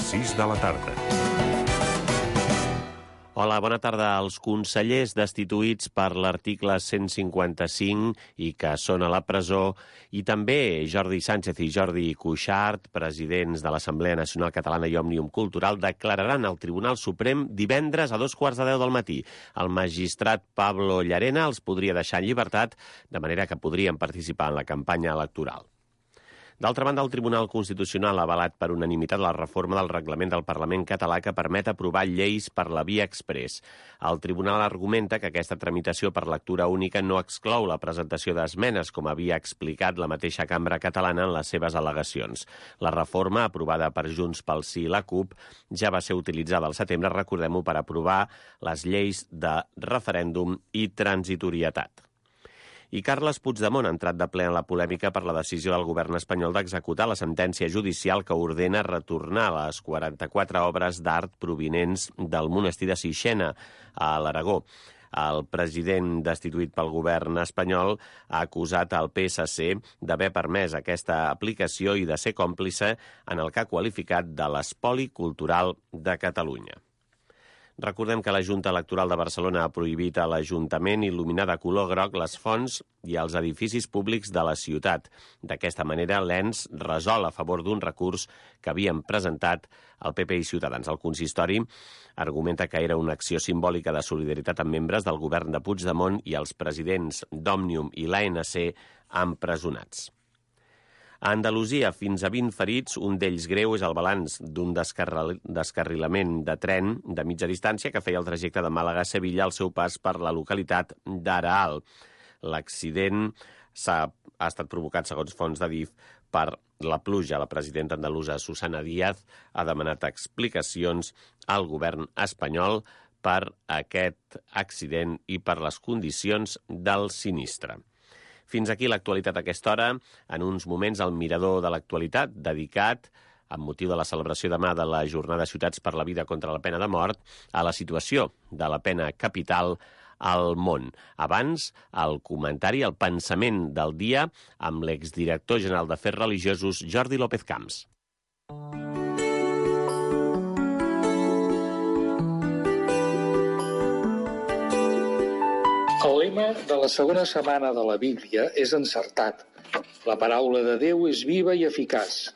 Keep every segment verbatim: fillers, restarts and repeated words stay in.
sis de la tarda. Hola, bona tarda. Els consellers destituïts per l'article cent cinquanta-cinc i que són a la presó, i també Jordi Sánchez i Jordi Cuixart, presidents de l'Assemblea Nacional Catalana i Òmnium Cultural, declararan al Tribunal Suprem divendres a dos quarts de deu del matí. El magistrat Pablo Llarena els podria deixar en llibertat, de manera que podrien participar en la campanya electoral. D'altra banda, el Tribunal Constitucional ha avalat per unanimitat la reforma del reglament del Parlament català que permet aprovar lleis per la via exprés. El Tribunal argumenta que aquesta tramitació per lectura única no exclou la presentació d'esmenes, com havia explicat la mateixa cambra catalana en les seves al·legacions. La reforma, aprovada per Junts pel Sí i la CUP, ja va ser utilitzada al setembre, recordem-ho, per aprovar les lleis de referèndum i transitorietat. I Carles Puigdemont ha entrat de ple en la polèmica per la decisió del govern espanyol d'executar la sentència judicial que ordena retornar les quaranta-quatre obres d'art provinents del monestir de Sixena, a l'Aragó. El president destituït pel govern espanyol ha acusat el P S C d'haver permès aquesta aplicació i de ser còmplice en el que ha qualificat de l'espoli cultural de Catalunya. Recordem que la Junta Electoral de Barcelona ha prohibit a l'Ajuntament il·luminar de color groc les fonts i els edificis públics de la ciutat. D'aquesta manera, l'Ens resol a favor d'un recurs que havien presentat el P P i Ciutadans. El consistori argumenta que era una acció simbòlica de solidaritat amb membres del govern de Puigdemont i els presidents d'Òmnium i l'A N C empresonats. A Andalusia, fins a vint ferits, un d'ells greu, és el balanç d'un descarril... descarrilament de tren de mitja distància que feia el trajecte de Màlaga a Sevilla al seu pas per la localitat d'Araal. L'accident s'ha ha estat provocat, segons fonts d'Adif, per la pluja. La presidenta andalusa, Susana Díaz, ha demanat explicacions al govern espanyol per aquest accident i per les condicions del sinistre. Fins aquí l'actualitat a aquesta hora. En uns moments, el mirador de l'actualitat, dedicat, amb motiu de la celebració demà de la Jornada Ciutats per la Vida contra la Pena de Mort, a la situació de la pena capital al món. Abans, el comentari, el pensament del dia, amb l'exdirector general d'Afers Religiosos, Jordi López Camps. El lema de la segona setmana de la Bíblia és encertat. La paraula de Déu és viva i eficaç.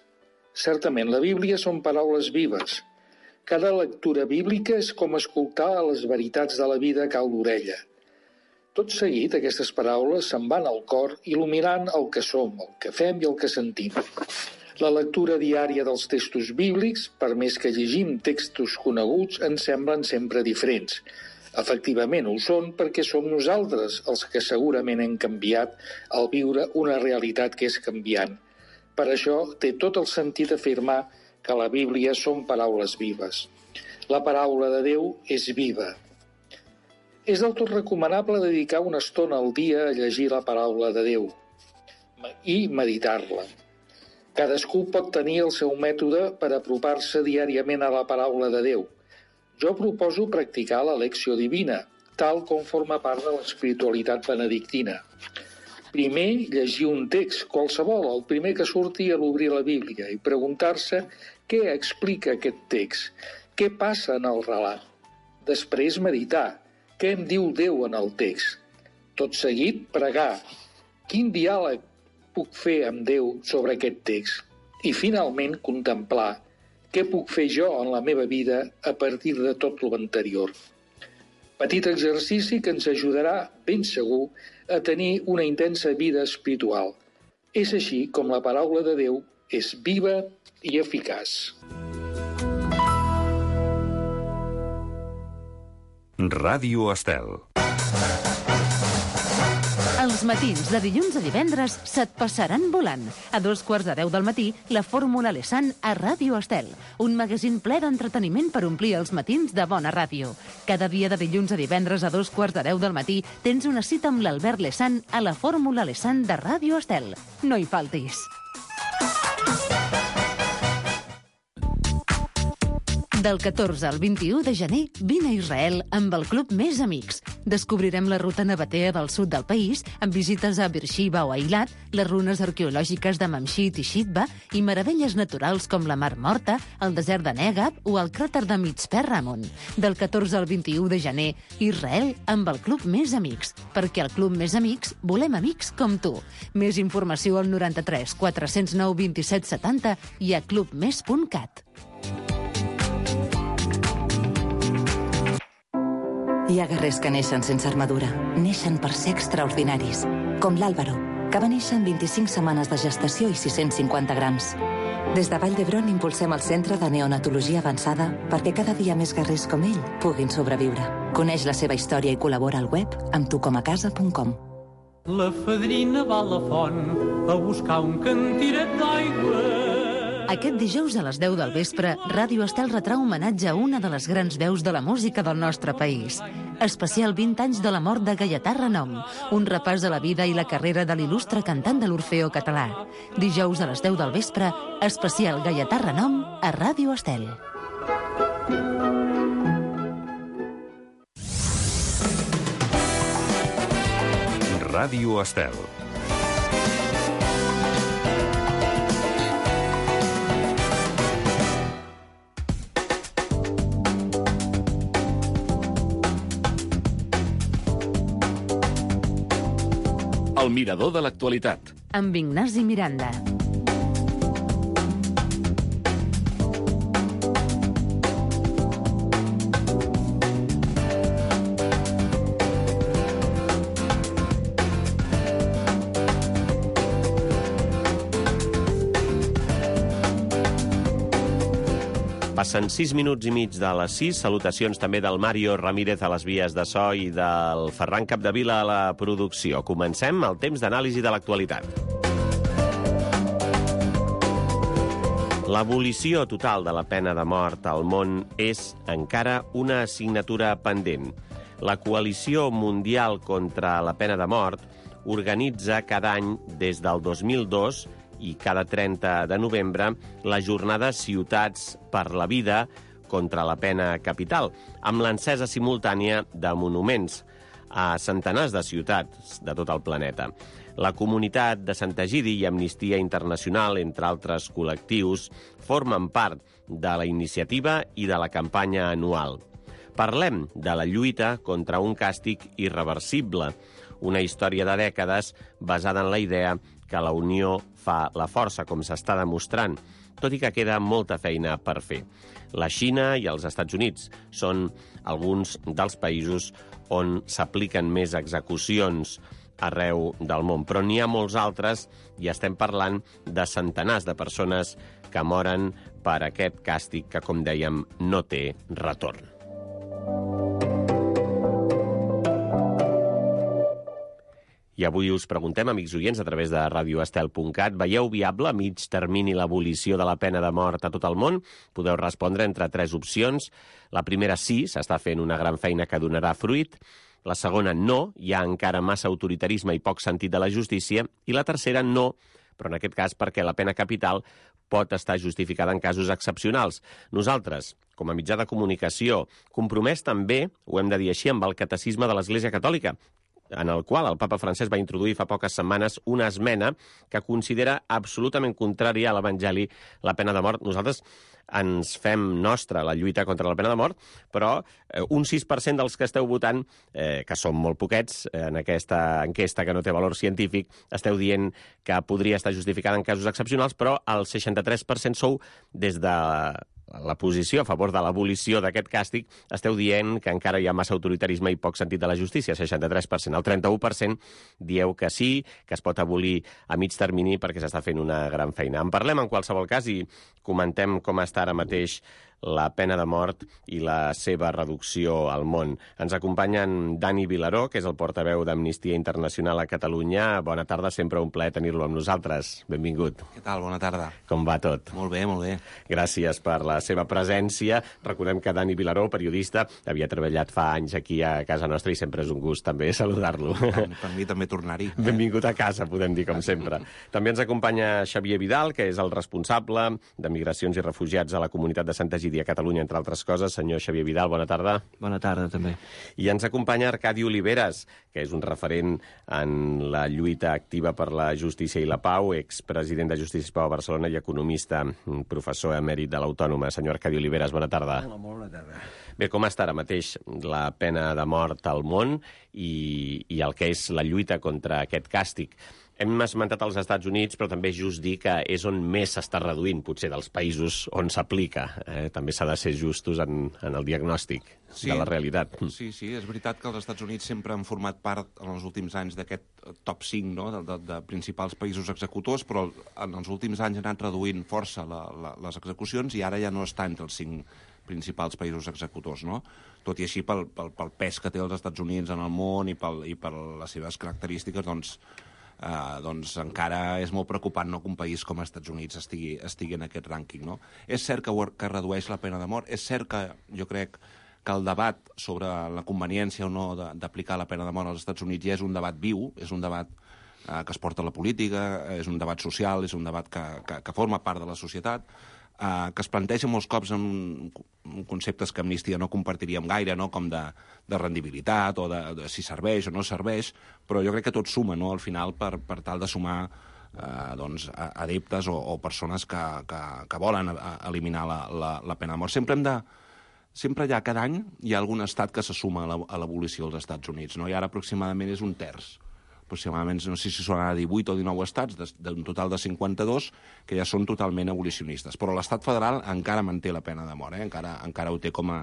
Certament, la Bíblia són paraules vives. Cada lectura bíblica és com escoltar les veritats de la vida a cau d'orella. Tot seguit, aquestes paraules se'n van al cor, il·luminant el que som, el que fem i el que sentim. La lectura diària dels textos bíblics, per més que llegim textos coneguts, ens semblen sempre diferents. Efectivament ho són perquè som nosaltres els que segurament hem canviat al viure una realitat que és canviant. Per això té tot el sentit afirmar que la Bíblia són paraules vives. La paraula de Déu és viva. És del tot recomanable dedicar una estona al dia a llegir la paraula de Déu i meditar-la. Cadascú pot tenir el seu mètode per apropar-se diàriament a la paraula de Déu. Jo proposo practicar la lecció divina, tal com forma part de l'espiritualitat benedictina. Primer, llegir un text, qualsevol, el primer que surti a l'obrir la Bíblia, i preguntar-se què explica aquest text, què passa en el relat. Després, meditar, què em diu Déu en el text. Tot seguit, pregar. Quin diàleg puc fer amb Déu sobre aquest text? I, finalment, contemplar. Què puc fer jo en la meva vida a partir de tot lo anterior? Petit exercici que ens ajudarà, ben segur, a tenir una intensa vida espiritual. És així com la paraula de Déu és viva i eficaç. Ràdio Estel. Els matins de dilluns a divendres se't passaran volant. A dos quarts de deu del matí, la Fórmula Lessan a Ràdio Estel. Un magazín ple d'entreteniment per omplir els matins de bona ràdio. Cada dia de dilluns a divendres a dos quarts de deu del matí tens una cita amb l'Albert Lessan a la Fórmula Lessan de Ràdio Estel. No hi faltis. Del catorze al vint-i-u de gener, vine a Israel amb el Club Més Amics. Descobrirem la ruta nabatea del sud del país, amb visites a Beersheba o Eilat, les runes arqueològiques de Mamshit i Shitba i meravelles naturals com la Mar Morta, el desert de Negab o el cràter de Mitzpe Ramon. Del catorze al vint-i-u de gener, Israel amb el Club Més Amics, perquè al Club Més Amics volem amics com tu. Més informació al noranta-tres quatre-cents nou vint-i-set setanta i a clubmes punt cat. Hi ha guerrers que neixen sense armadura. Neixen per ser extraordinaris. Com l'Àlvaro, que va néixer en vint-i-cinc setmanes de gestació i sis-cents cinquanta grams. Des de Vall d'Hebron impulsem el Centre de Neonatologia Avançada perquè cada dia més guerrers com ell puguin sobreviure. Coneix la seva història i col·labora al web amb tu com a casa punt com. La fadrina va a la font a buscar un cantiret d'aigua. Aquest dijous a les deu del vespre, Ràdio Estel retrà homenatge a una de les grans veus de la música del nostre país. Especial vint anys de la mort de Gaietà Renom, un repàs a la vida i la carrera de l'il·lustre cantant de l'Orfeó català. Dijous a les deu del vespre, especial Gaietà Renom a Ràdio Estel. Ràdio Estel. El mirador de l'actualitat. Amb Ignasi Miranda. Passen sis minuts i mig de les sis. Salutacions també del Mario Ramírez a les vies de so i del Ferran Capdevila a la producció. Comencem el temps d'anàlisi de l'actualitat. L'abolició total de la pena de mort al món és encara una assignatura pendent. La Coalició Mundial contra la Pena de Mort organitza cada any des del dos mil dos i cada trenta de novembre la jornada Ciutats per la Vida contra la Pena Capital, amb l'encesa simultània de monuments a centenars de ciutats de tot el planeta. La comunitat de Sant Egidi i Amnistia Internacional, entre altres col·lectius, formen part de la iniciativa i de la campanya anual. Parlem de la lluita contra un càstig irreversible, una història de dècades basada en la idea que la unió fa la força, com s'està demostrant, tot i que queda molta feina per fer. La Xina i els Estats Units són alguns dels països on s'apliquen més execucions arreu del món, però n'hi ha molts altres i estem parlant de centenars de persones que moren per aquest càstig que, com dèiem, no té retorn. I avui us preguntem, amics oients, a través de radio estel punt cat, veieu viable a mig termini l'abolició de la pena de mort a tot el món? Podeu respondre entre tres opcions. La primera, sí, s'està fent una gran feina que donarà fruit. La segona, no, hi ha encara massa autoritarisme i poc sentit de la justícia. I la tercera, no, però en aquest cas perquè la pena capital pot estar justificada en casos excepcionals. Nosaltres, com a mitjà de comunicació, compromès també, ho hem de dir així, amb el catecisme de l'Església Catòlica, en el qual el papa francès va introduir fa poques setmanes una esmena que considera absolutament contrària a l'Evangeli la pena de mort. Nosaltres ens fem nostra la lluita contra la pena de mort, però eh, un sis per cent dels que esteu votant, eh, que són molt poquets eh, en aquesta enquesta que no té valor científic, esteu dient que podria estar justificada en casos excepcionals, però el seixanta-tres per cent sou des de la posició a favor de l'abolició d'aquest càstig, esteu dient que encara hi ha massa autoritarisme i poc sentit de la justícia, seixanta-tres per cent. El trenta-u per cent dieu que sí, que es pot abolir a mig termini perquè s'està fent una gran feina. En parlem en qualsevol cas i comentem com està ara mateix la pena de mort i la seva reducció al món. Ens acompanyen Dani Vilaró, que és el portaveu d'Amnistia Internacional a Catalunya. Bona tarda, sempre un plaer tenir-lo amb nosaltres. Benvingut. Què tal? Bona tarda. Com va tot? Molt bé, molt bé. Gràcies per la seva presència. Recordem que Dani Vilaró, periodista, havia treballat fa anys aquí a casa nostra i sempre és un gust també saludar-lo. Per mi també tornar-hi. Benvingut a casa, podem dir, com sempre. També ens acompanya Xavier Vidal, que és el responsable de Migracions i Refugiats a la comunitat de Sant Egidi presidi a Catalunya, entre altres coses. Senyor Xavier Vidal, bona tarda. Bona tarda, també. I ens acompanya Arcadi Oliveres, que és un referent en la lluita activa per la justícia i la pau, expresident de Justícia i Pau a Barcelona i economista, professor emèrit de l'Autònoma. Senyor Arcadi Oliveres, bona tarda. Hola, molt bona tarda. Bé, com està ara mateix la pena de mort al món i, i el que és la lluita contra aquest càstig? Hem esmentat els Estats Units, però també és just dir que és on més s'està reduint, potser, dels països on s'aplica. Eh? També s'ha de ser justos en, en el diagnòstic sí, de la realitat. Sí, sí, és veritat que els Estats Units sempre han format part en els últims anys d'aquest top cinc, no?, de, de, de principals països executors, però en els últims anys han anat reduint força la, la, les execucions i ara ja no està entre els cinc principals països executors, no? Tot i així, pel, pel, pel pes que té els Estats Units en el món i, pel, i per les seves característiques, doncs, Uh, doncs encara és molt preocupant, no?, que un país com els Estats Units estigui, estigui en aquest rànquing, no? És cert que, que redueix la pena de mort, és cert que jo crec que el debat sobre la conveniència o no d'aplicar la pena de mort als Estats Units ja és un debat viu, és un debat uh, que es porta a la política, és un debat social, és un debat que, que, que forma part de la societat, Uh, que es planteja molts cops en, en conceptes que Amnistia no compartiríem gaire, no?, com de, de rendibilitat o de, de si serveix o no serveix, però jo crec que tot suma, no?, al final per, per tal de sumar uh, doncs, adeptes o, o persones que, que, que volen a, a eliminar la, la, la pena de mort. Sempre hem de... Sempre ja cada any hi ha algun estat que se suma a l'abolició dels Estats Units, no? I ara aproximadament és un terç. Aproximadament, no sé si són ara divuit o dinou estats, d'un total de cinquanta-dos, que ja són totalment abolicionistes. Però l'estat federal encara manté la pena de mort, eh? encara, encara ho té com a,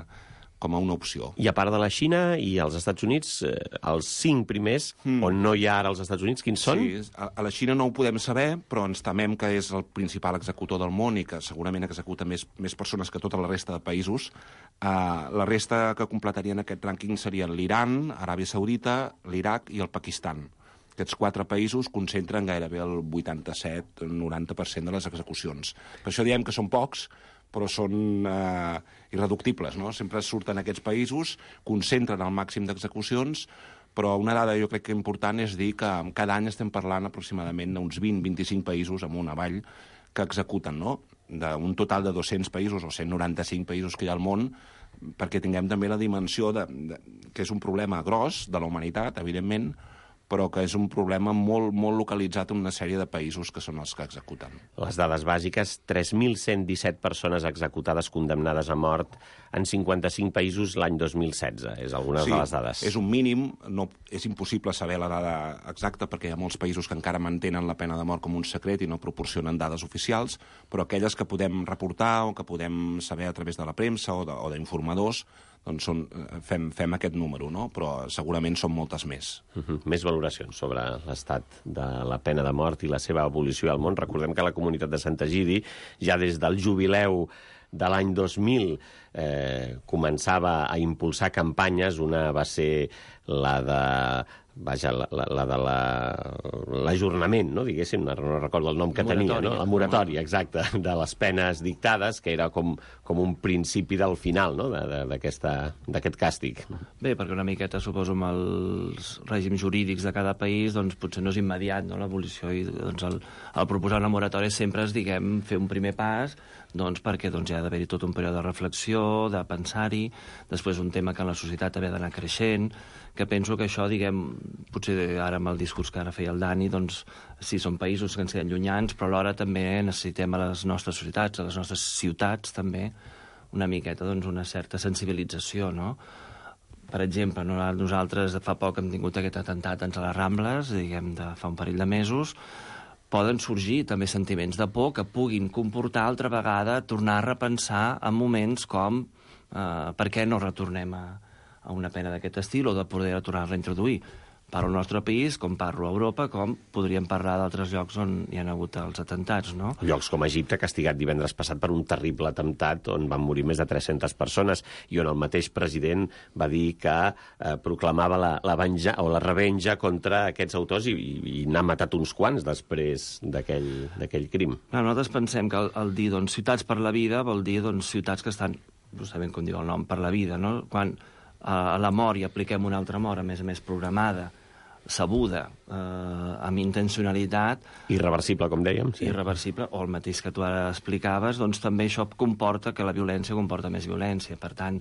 com a una opció. I a part de la Xina i els Estats Units, eh, els cinc primers, mm. on no hi ha ara els Estats Units, quins són? Sí, a, a la Xina no ho podem saber, però ens temem que és el principal executor del món i que segurament executa més, més persones que tota la resta de països. Uh, la resta que completarien aquest rànquing serien l'Iran, Aràbia Saudita, l'Iraq i el Pakistan. Aquests quatre països concentren gairebé el vuitanta-set noranta per cent de les execucions. Per això diem que són pocs, però són eh, irreductibles, no? Sempre surten aquests països, concentren el màxim d'execucions, però una dada jo crec que important és dir que cada any estem parlant aproximadament d'uns vint a vint-i-cinc països amunt avall que executen, no?, d'un total de dos-cents països o cent noranta-cinc països que hi ha al món, perquè tinguem també la dimensió de, de, que és un problema gros de la humanitat, evidentment, però que és un problema molt, molt localitzat en una sèrie de països que són els que executen. Les dades bàsiques, tres mil cent disset persones executades condemnades a mort en cinquanta-cinc països l'any dos mil setze. És algunes sí, de les dades. És un mínim, no, és impossible saber la dada exacta perquè hi ha molts països que encara mantenen la pena de mort com un secret i no proporcionen dades oficials, però aquelles que podem reportar o que podem saber a través de la premsa o d'informadors, doncs són, fem, fem aquest número, no? Però segurament són moltes més. Uh -huh. Més valoracions sobre l'estat de la pena de mort i la seva abolició al món. Recordem que la comunitat de Sant Egidi, ja des del jubileu de l'any dos mil, eh, començava a impulsar campanyes. Una va ser la de... Vaja, la, la, la de l'ajornament, la, no, diguéssim, no, no recordo el nom que moratòria. tenia, no? La moratòria, exacte, de les penes dictades, que era com, com un principi del final, no?, d'aquest càstig. Bé, perquè una miqueta, suposo, amb els règims jurídics de cada país, doncs potser no és immediat, no?, l'abolició, i doncs el, el proposar una moratòria sempre és, diguem, fer un primer pas, doncs perquè doncs, hi ha d'haver-hi tot un període de reflexió, de pensar-hi, després un tema que en la societat ha d'anar creixent, que penso que això, diguem, potser ara amb el discurs que ara feia el Dani, doncs sí, són països que ens queden llunyans, però alhora també necessitem a les nostres societats, a les nostres ciutats també, una miqueta, doncs, una certa sensibilització, no? Per exemple, nosaltres fa poc hem tingut aquest atemptat a les Rambles, diguem, de fa un parell de mesos, poden sorgir també sentiments de por que puguin comportar altra vegada tornar a repensar en moments com eh, per què no retornem a, a una pena d'aquest estil o de poder tornar-la a introduir. Parlo al nostre país, com parlo a Europa, com podríem parlar d'altres llocs on hi ha hagut els atemptats, no? Llocs com Egipte, castigat divendres passat per un terrible atemptat on van morir més de tres-centes persones i on el mateix president va dir que eh, proclamava la, la, venja, o la revenja contra aquests autors i, i, i n'ha matat uns quants després d'aquell crim. No, nosaltres pensem que el, el dir doncs, ciutats per la vida vol dir doncs, ciutats que estan, no sabem com diu el nom, per la vida, no? Quan a la mort i apliquem una altra mort, a més a més programada, sabuda, eh, amb intencionalitat... Irreversible, com dèiem. Sí. Irreversible, o el mateix que tu ara explicaves, doncs també això comporta que la violència comporta més violència. Per tant,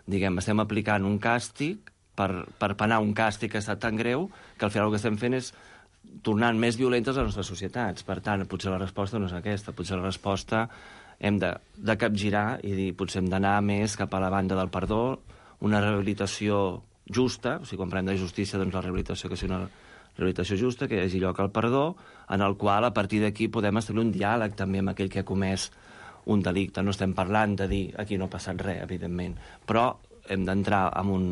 diguem, estem aplicant un càstig per, per penar un càstig que ha estat tan greu que al final el que estem fent és tornant més violentes les nostres societats. Per tant, potser la resposta no és aquesta. Potser la resposta hem de, de capgirar i dir, potser hem d'anar més cap a la banda del perdó, una rehabilitació justa, o sigui, quan parlem de justícia, doncs la rehabilitació que sigui una rehabilitació justa, que hi hagi lloc al perdó, en el qual a partir d'aquí podem establir un diàleg també amb aquell que ha comès un delicte. No estem parlant de dir aquí no ha passat res, evidentment, però hem d'entrar en un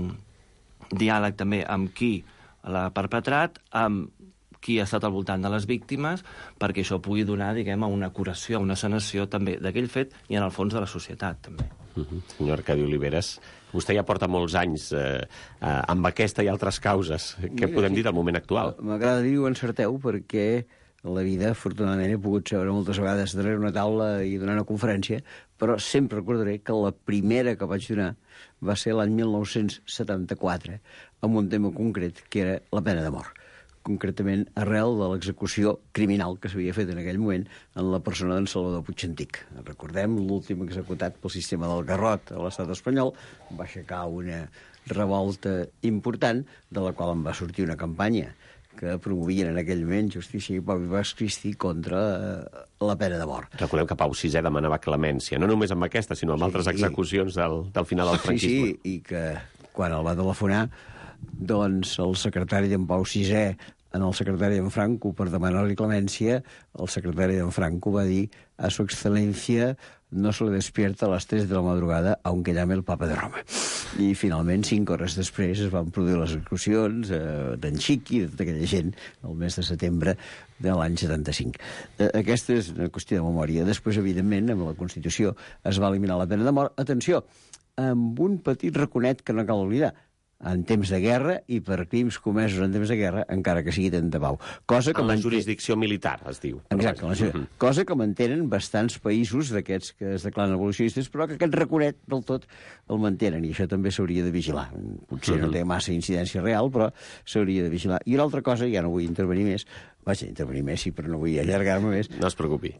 diàleg també amb qui l'ha perpetrat, amb qui ha estat al voltant de les víctimes, perquè això pugui donar, diguem, una curació, una sanació també d'aquell fet i en el fons de la societat, també. Uh-huh. Senyor Arcadi Oliveres, vostè ja porta molts anys eh, eh, amb aquesta i altres causes. Què podem dir del moment actual? M'agrada dir ho encerteu, perquè la vida, afortunadament, he pogut seure moltes vegades darrere una taula i donar una conferència, però sempre recordaré que la primera que vaig donar va ser l'any mil nou-cents setanta-quatre, amb un tema concret, que era la pena de mort. Concretament arrel de l'execució criminal que s'havia fet en aquell moment en la persona d'en Salvador Puigantic. Recordem, l'últim executat pel sistema del Garrot a l'estat espanyol va aixecar una revolta important, de la qual en va sortir una campanya que promovien en aquell moment Justícia i Pau i Bas Cristi contra eh, la pena de mort. Recordem que Pau sisè demanava clemència, no només amb aquesta, sinó amb sí, altres execucions del, del final del franquisme. Sí, sí, i que quan el va telefonar, doncs el secretari d'en Pau sisè en el secretari d'en Franco per demanar-li clemència, el secretari d'en Franco va dir a su excelencia no se le despierta a les tres de la madrugada aunque llame el papa de Roma. I finalment, cinc hores després, es van produir les execucions eh, d'en Xiqui i de tota aquella gent el mes de setembre de l'any setanta-cinc. Eh, aquesta és una qüestió de memòria. Després, evidentment, amb la Constitució es va eliminar la pena de mort. Atenció, amb un petit raconet que no cal oblidar, en temps de guerra i per crims comesos en temps de guerra, encara que sigui temps de pau. Cosa que en la manté... jurisdicció militar, es diu. Exacte, la... uh-huh. Cosa que mantenen bastants països d'aquests que es declaren abolicionistes, però que aquest raconet del tot el mantenen, i això també s'hauria de vigilar. Potser uh-huh. no té massa incidència real, però s'hauria de vigilar. I una altra cosa, ja no vull intervenir més, vaja, intervenir més sí, però no vull allargar-me més. No es preocupi.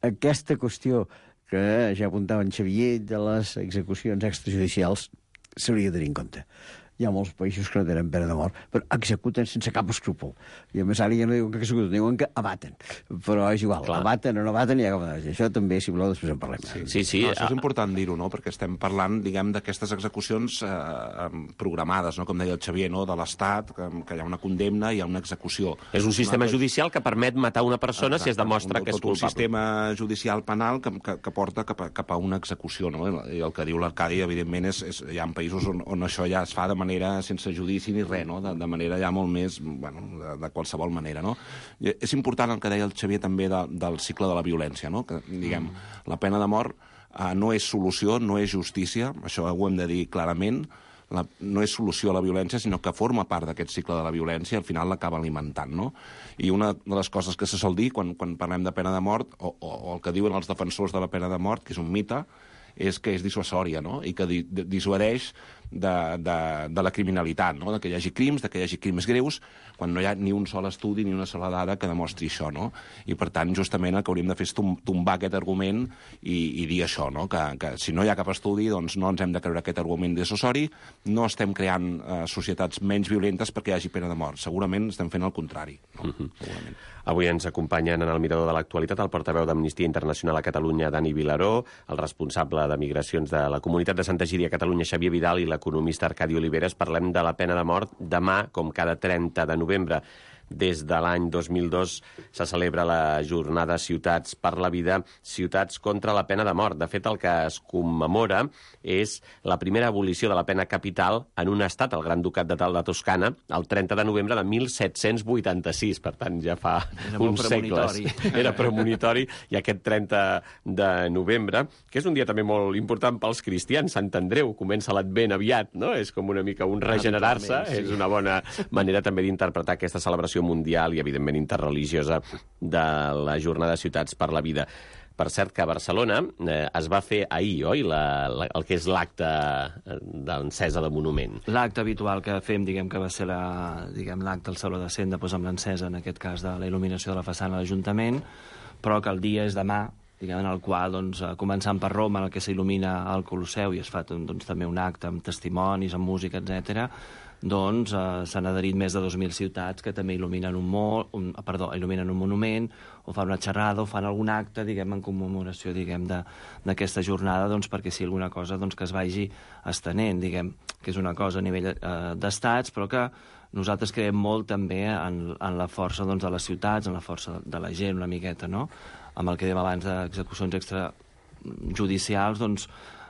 Aquesta qüestió que ja apuntava en Xavier de les execucions extrajudicials s'hauria de tenir en compte. Hi ha molts països que no tenen pena de mort, però executen sense cap escrúpol. I a més ara ja no diuen que executen, diuen que abaten. Però és igual, Clar. abaten o no abaten, ja... això també, si voleu, després en parlem. Sí, sí. sí. No, això és important dir-ho, no?, perquè estem parlant, diguem, d'aquestes execucions eh, programades, no?, com deia el Xavier, no?, de l'Estat, que, que hi ha una condemna i hi ha una execució. És un sistema judicial que permet matar una persona Exacte, si es demostra un, que és culpable. Un sistema judicial penal que, que, que porta cap a, cap a una execució, no?, i el que diu l'Arcadi, evidentment, és, és hi ha països on, on això ja es fa de manera sense judici ni res, no?, de, de manera ja molt més, bueno, de, de qualsevol manera, no? I és important el que deia el Xavier també de, del cicle de la violència, no?, que, diguem, mm. la pena de mort eh, no és solució, no és justícia, això ho hem de dir clarament, la, no és solució a la violència, sinó que forma part d'aquest cicle de la violència i al final l'acaba alimentant, no? I una de les coses que se sol dir quan, quan parlem de pena de mort, o, o, o el que diuen els defensors de la pena de mort, que és un mite, és que és dissuasòria, no?, i que di, dissuadeix de, de, de la criminalitat, no?, de que hi hagi crims, de que hi hagi crims greus, quan no hi ha ni un sol estudi ni una sola dada que demostri això, no? I, per tant, justament el que hauríem de fer és tombar aquest argument i, i dir això, no?, que, que si no hi ha cap estudi, doncs no ens hem de creure aquest argument dissuasori, no estem creant eh, societats menys violentes perquè hi hagi pena de mort. Segurament estem fent el contrari, no? Uh-huh. Segurament. Avui ens acompanyen en el Mirador de l'Actualitat el portaveu d'Amnistia Internacional a Catalunya, Dani Vilaró, el responsable de Migracions de la Comunitat de Santa Gíria a Catalunya, Xavier Vidal, i l'economista Arcadi Oliveres. Parlem de la pena de mort demà, com cada trenta de novembre. Des de l'any dos mil dos se celebra la jornada Ciutats per la Vida, Ciutats contra la pena de mort. De fet, el que es commemora és la primera abolició de la pena capital en un estat, el Gran Ducat de Tal de Toscana, el trenta de novembre de mil set-cents vuitanta-sis. Per tant, ja fa Era uns segles. Era premonitori. I aquest trenta de novembre, que és un dia també molt important pels cristians, Sant Andreu, comença l'Advent aviat, no? És com una mica un regenerar-se. Sí. És una bona manera també d'interpretar aquesta celebració celebració mundial i, evidentment, interreligiosa de la Jornada de Ciutats per la Vida. Per cert, que a Barcelona eh, es va fer ahir, oi?, la, la, el que és l'acte d'encesa de monument. L'acte habitual que fem, diguem que va ser la, diguem, l'acte al Saló de Cent, doncs amb l'encesa, en aquest cas, de la il·luminació de la façana de l'Ajuntament, però que el dia és demà, diguem, en el qual, doncs, començant per Roma, en el que s'il·lumina el Colosseu, i es fa doncs, també un acte amb testimonis, amb música, etcètera, doncs eh, s'han adherit més de dos mil ciutats que també il·luminen un, mo un, perdó, il·luminen un monument, o fan una xerrada, o fan algun acte, diguem, en commemoració, diguem, d'aquesta jornada, doncs, perquè sigui alguna cosa doncs, que es vagi estenent, diguem, que és una cosa a nivell eh, d'estats, però que nosaltres creiem molt també en, en la força doncs, de les ciutats, en la força de la gent, una miqueta, no?, amb el que dèiem abans d'execucions extrajudicials, doncs,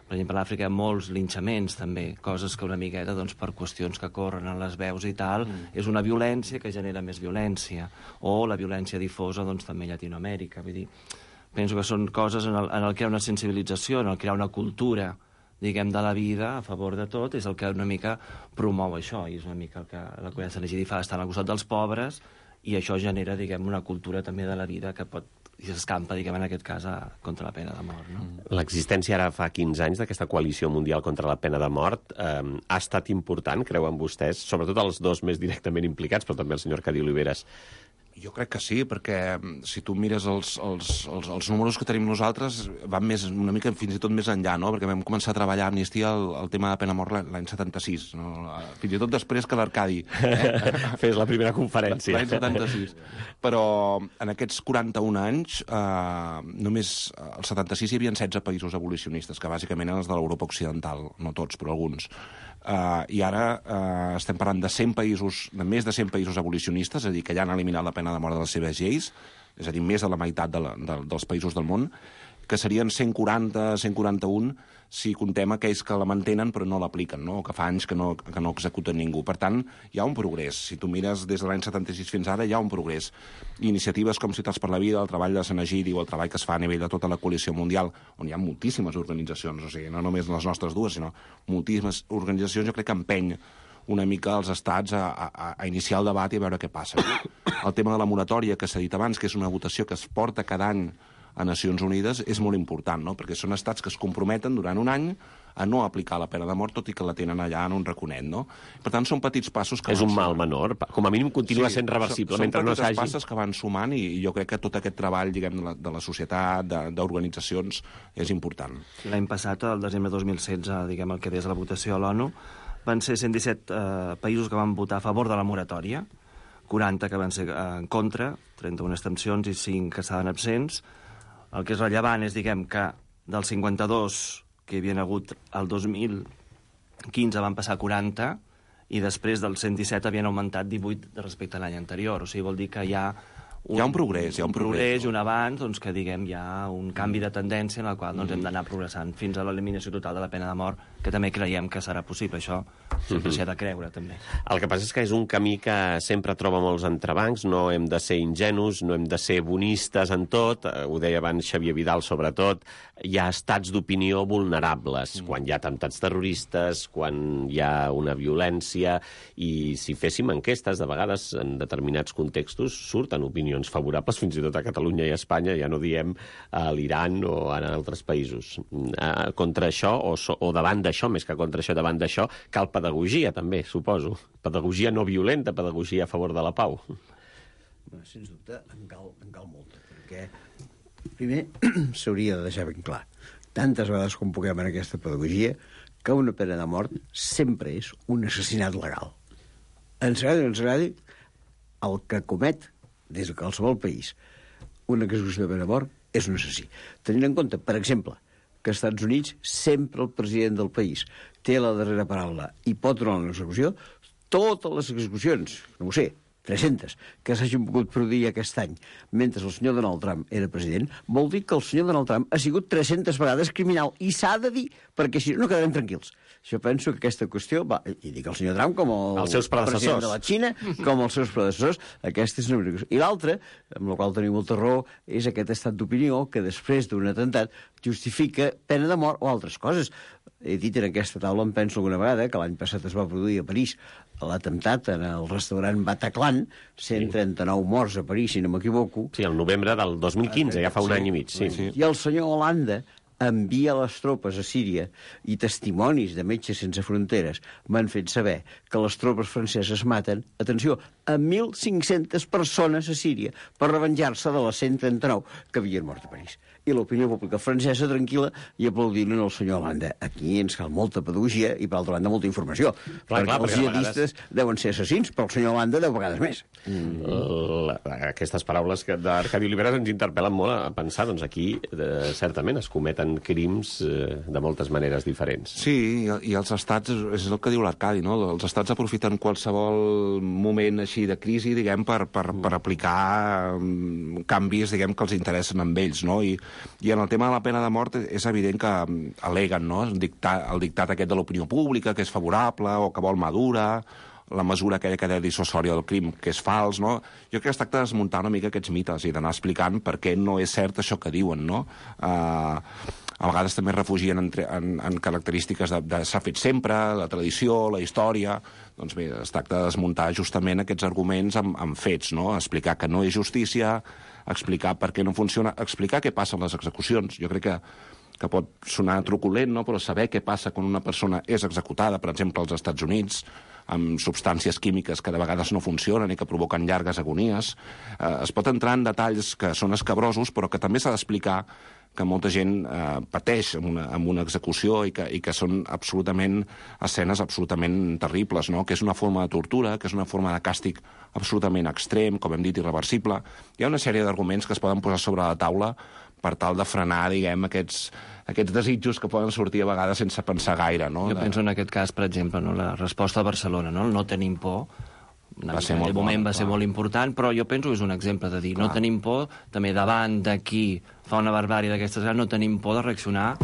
per exemple, a l'Àfrica hi ha molts linxaments, també, coses que una miqueta, doncs, per qüestions que corren en les veus i tal, mm. és una violència que genera més violència. O la violència difosa, doncs, també a Llatinoamèrica. Vull dir, penso que són coses en el, en el crear una sensibilització, en el crear una cultura, diguem, de la vida a favor de tot, és el que una mica promou això, i és una mica el que la Comunitat Sant Egidi fa, estar al costat dels pobres, i això genera, diguem, una cultura també de la vida que pot i s'escampa, diguem, en aquest cas, a, contra la pena de mort. No? L'existència ara fa quinze anys d'aquesta coalició mundial contra la pena de mort eh, ha estat important, creuen vostès, sobretot els dos més directament implicats, però també el senyor Cadí Oliveres. Jo crec que sí, perquè si tu mires els, els, els, els números que tenim nosaltres van més, una mica fins i tot més enllà, no? Perquè vam començar a treballar a Amnistia el, el tema de pena de mort l'any setanta-sis, no? Fins i tot després que l'Arcadi eh? fes la primera conferència. L'any setanta-sis. Però en aquests quaranta-un anys, eh, només al setanta-sis hi havia setze països abolicionistes, que bàsicament eren els de l'Europa Occidental, no tots, però alguns. Uh, I ara uh, estem parlant de cent països, de més de cent països abolicionistes, és a dir, que ja han eliminat la pena de mort de les seves lleis, és a dir, més de la meitat de la, de, dels països del món, que serien cent quaranta, cent quaranta-un, si contem aquells que la mantenen però no l'apliquen, no? O que fa anys que no, que no executen ningú. Per tant, hi ha un progrés. Si tu mires des de l'any setanta-sis fins ara, hi ha un progrés. Iniciatives com Ciutats per la Vida, el treball de Sant Egidi o el treball que es fa a nivell de tota la coalició mundial, on hi ha moltíssimes organitzacions, o sigui, no només les nostres dues, sinó moltíssimes organitzacions, jo crec que empeny una mica els estats a, a, a iniciar el debat i a veure què passa. El tema de la moratòria, que s'ha dit abans, que és una votació que es porta cada any a Nacions Unides, és molt important, no? Perquè són estats que es comprometen durant un any a no aplicar la pena de mort, tot i que la tenen allà en un raconet, no? Per tant, són petits passos que... És un mal menor. Com a mínim continua sí, sent reversible, mentre no s'hagi... Són petites passes que van sumant i, i jo crec que tot aquest treball, diguem, de la, de la societat, d'organitzacions, és important. L'any passat, el desembre de dos mil setze, diguem, el que des de la votació a l'ONU, van ser cent disset eh, països que van votar a favor de la moratòria, quaranta que van ser en contra, trenta-una abstencions i cinc que estaven absents. El que és rellevant és, diguem, que dels cinquanta-dos que hi havia hagut el dos mil quinze van passar a quaranta i després dels cent disset havien augmentat divuit respecte a l'any anterior. O sigui, vol dir que hi ha un, hi ha un progrés, hi ha un, un progrés, progrés no? Un avanç, doncs, que, diguem, hi ha un canvi de tendència en el qual doncs, hem d'anar progressant fins a l'eliminació total de la pena de mort, que també creiem que serà possible. Això sempre s'hi ha de creure, també. El que passa és que és un camí que sempre troba molts entrebancs, no hem de ser ingenus, no hem de ser bonistes en tot, ho deia abans Xavier Vidal, sobretot, hi ha estats d'opinió vulnerables, mm. quan hi ha atemptats terroristes, quan hi ha una violència, i si féssim enquestes, de vegades, en determinats contextos, surten opinions favorables, fins i tot a Catalunya i a Espanya, ja no diem a l'Iran o en altres països. Contra això, o, so, o davant d'això, més que contra això, davant d'això, cal pedagogia, també, suposo. Pedagogia no violenta, pedagogia a favor de la pau. Bé, sens dubte, en cal, en cal molta, perquè primer s'hauria de deixar ben clar, tantes vegades com puguem en aquesta pedagogia, que una pena de mort sempre és un assassinat legal. Ens agradi o ens agradi, el que comet des de qualsevol país una execució de pena de mort és un assassí. Tenint en compte, per exemple, que als Estats Units sempre el president del país té la darrera paraula i pot donar una execució, totes les execucions, no ho sé, tres-centes, que s'hagin pogut produir aquest any mentre el senyor Donald Trump era president, vol dir que el senyor Donald Trump ha sigut tres-centes vegades criminal, i s'ha de dir, perquè si no quedarem tranquils. Jo penso que aquesta qüestió, va, i dic el senyor Trump com el, els seus president de la Xina, com els seus predecessors, aquesta és una qüestió. I l'altra, amb la qual tenim molta raó, és aquest estat d'opinió que després d'un atemptat justifica pena de mort o altres coses. He dit en aquesta taula, em penso alguna vegada, que l'any passat es va produir a París l'atemptat en el restaurant Bataclan, l'any, cent trenta-nou morts a París, si no m'equivoco. Sí, el novembre del dos mil quinze, ja fa un sí, any i mig. Sí. Sí. I el senyor Hollande envia les tropes a Síria i testimonis de Metges Sense Fronteres m'han fet saber que les tropes franceses maten, atenció, a mil cinc-centes persones a Síria per revenjar-se de les cent trenta-nou que havien mort a París. I l'opinió pública francesa tranquil·la i aplaudint al senyor Hollande. Aquí ens cal molta pedagogia i, per altra banda, molta informació. Clar, perquè clar, els jihadistes vegades... deuen ser assassins, però el senyor Hollande deu vegades més. Mm. La, aquestes paraules que d'Arcadi Oliveres ens interpel·len molt a pensar, doncs aquí, eh, certament, es cometen crims eh, de moltes maneres diferents. Sí, i, i els estats, és el que diu l'Arcadi, no? Els estats aprofiten qualsevol moment així de crisi, diguem, per, per, per aplicar um, canvis, diguem, que els interessen amb ells, no? I, i en el tema de la pena de mort és evident que aleguen, no? El dictat, el dictat aquest de l'opinió pública, que és favorable o que vol madura, la mesura aquella que deia dissuasòria del crim, que és fals, no? Jo crec que es tracta de desmuntar una mica aquests mites i d'anar explicant per què no és cert això que diuen, no? Uh, a vegades també es refugien en, en, en característiques de, de s'ha fet sempre, la tradició, la història. Doncs bé, es tracta de desmuntar justament aquests arguments amb, amb fets, no? Explicar que no és justícia, explicar per què no funciona, explicar què passa amb les execucions. Jo crec que que pot sonar truculent, no? Però saber què passa quan una persona és executada, per exemple, als Estats Units, amb substàncies químiques que de vegades no funcionen i que provoquen llargues agonies. Eh, es pot entrar en detalls que són escabrosos, però que també s'ha d'explicar que molta gent eh, pateix amb una, amb una execució i que, i que són absolutament escenes absolutament terribles, no? Que és una forma de tortura, que és una forma de càstig absolutament extrem, com hem dit, irreversible. Hi ha una sèrie d'arguments que es poden posar sobre la taula per tal de frenar, diguem, aquests, aquests desitjos que poden sortir a vegades sense pensar gaire, no? Jo de... penso en aquest cas, per exemple, no? La resposta a Barcelona, no? El no tenim por, va ser molt en moment bon, va ser clar. molt important, però jo penso que és un exemple de dir, Clar. no tenim por, també davant de qui fa una barbàrie d'aquestes, no tenim por de reaccionar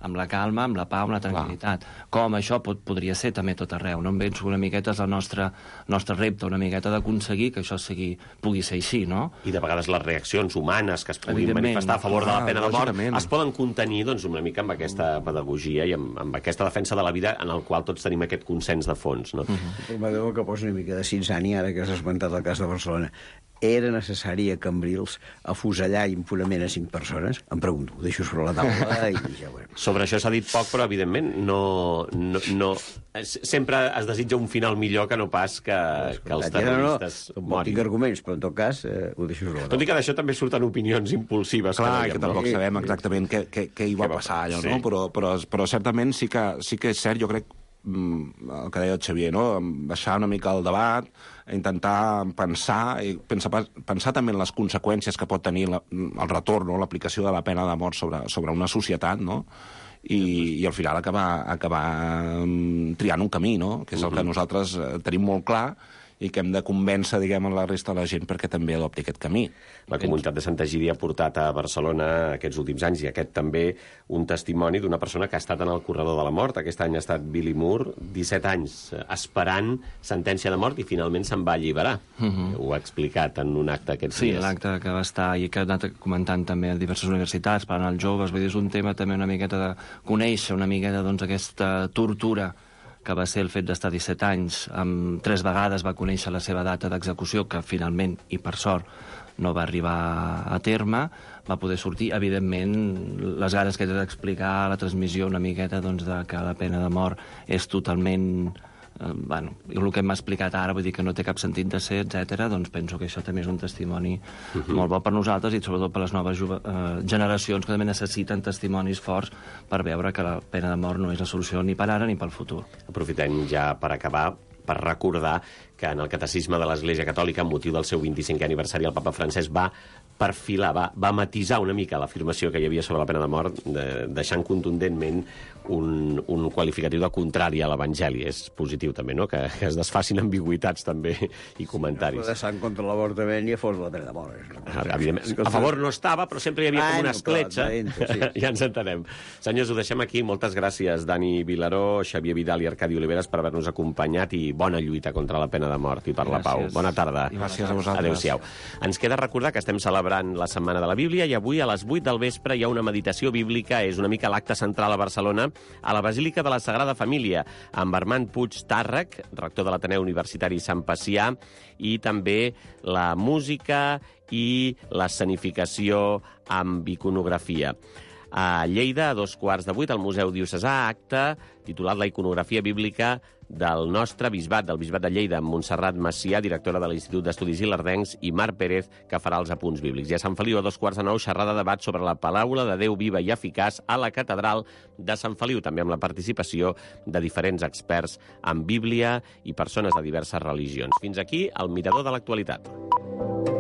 amb la calma, amb la pau, amb la tranquil·litat. Clar. Com això pot, podria ser també tot arreu. No em penso una miqueta és el nostre, nostre repte, una miqueta d'aconseguir que això sigui, pugui ser així, no? I de vegades les reaccions humanes que es puguin manifestar a favor de la pena de mort es poden contenir doncs, una mica amb aquesta pedagogia i amb, amb aquesta defensa de la vida en el qual tots tenim aquest consens de fons, no? Uh-huh. Permeteu que posi una mica de cinsani ara que has esmentat el cas de Barcelona. Era necessari a Cambrils afusellar impunement a cinc persones? Em pregunto, ho deixo sobre la taula i ja ho veurem. Sobre això s'ha dit poc, però evidentment no, no, no... sempre es desitja un final millor que no pas que, que els terroristes no, no, morin. Tinc arguments, però en tot cas eh, ho deixo sobre la taula. Tot i que d'això també surten opinions impulsives. Clar, que, que tampoc no? sabem exactament què, què, què hi va passar, allò, sí. no? Però, però, però certament sí que, sí que és cert, jo crec, el que deia el Xavier, no? Baixar una mica el debat, intentar pensar, i pensar, pensar també en les conseqüències que pot tenir la, el retorn o l'aplicació de la pena de mort sobre, sobre una societat, no? I, i al final acabar, acabar triant un camí, no? Que és el que nosaltres tenim molt clar i que hem de convèncer, diguem, la resta de la gent perquè també adopti aquest camí. La comunitat de Santa Egídia ha portat a Barcelona aquests últims anys, i aquest també un testimoni d'una persona que ha estat en el corredor de la mort. Aquest any ha estat Billy Moore, disset anys esperant sentència de mort i finalment se'n va alliberar. Uh-huh. Ho ha explicat en un acte aquests sí, dies. Sí, l'acte que va estar i que ha anat comentant també a diverses universitats, parlant als joves, vull dir, és un tema també una miqueta de conèixer una miqueta doncs, aquesta tortura que va ser el fet d'estar disset anys, amb tres vegades va conèixer la seva data d'execució, que finalment, i per sort, no va arribar a terme, va poder sortir. Evidentment, les ganes que he d'explicar a la transmissió una miqueta doncs, de que la pena de mort és totalment... Eh, bueno, el que m'ha explicat ara, vull dir que no té cap sentit de ser, etcètera, doncs penso que això també és un testimoni uh-huh. molt bo per nosaltres i sobretot per les noves juve, eh, generacions que també necessiten testimonis forts per veure que la pena de mort no és la solució ni per ara ni pel futur. Aprofitem ja per acabar per recordar que en el Catecisme de l'Església Catòlica, amb motiu del seu vint-i-cinquè aniversari, el papa Francesc va perfilar, va, va matisar una mica l'afirmació que hi havia sobre la pena de mort, de, deixant contundentment un, un qualificatiu de contrari a l'Evangeli. És positiu també, no?, que, que es desfacin ambigüitats també i comentaris. Si no de sang contra l'avortament i a fos la pena de mort. Evidentment, a favor no estava, però sempre hi havia com una escletxa. Sí. Ja ens entenem. Senyors, ho deixem aquí. Moltes gràcies, Dani Vilaró, Xavier Vidal i Arcadi Oliveres, per haver-nos acompanyat i bona lluita contra la pena pena de mort i per la pau. Bona tarda. I gràcies a vosaltres. Adéu-siau. Ens queda recordar que estem celebrant la Setmana de la Bíblia i avui a les vuit del vespre hi ha una meditació bíblica, és una mica l'acte central a Barcelona, a la Basílica de la Sagrada Família, amb Armand Puig Tàrrec, rector de l'Ateneu Universitari Sant Pacià, i també la música i l'escenificació amb iconografia. A Lleida, a dos quarts de vuit, al Museu Diocesà, acte titulat La iconografia bíblica del nostre bisbat, del bisbat de Lleida, amb Montserrat Macià, directora de l'Institut d'Estudis Ilerdencs, i Marc Pérez, que farà els apunts bíblics. I a Sant Feliu, a dos quarts de nou, xerrada de debat sobre la paraula de Déu viva i eficaç a la catedral de Sant Feliu, també amb la participació de diferents experts en Bíblia i persones de diverses religions. Fins aquí el Mirador de l'actualitat.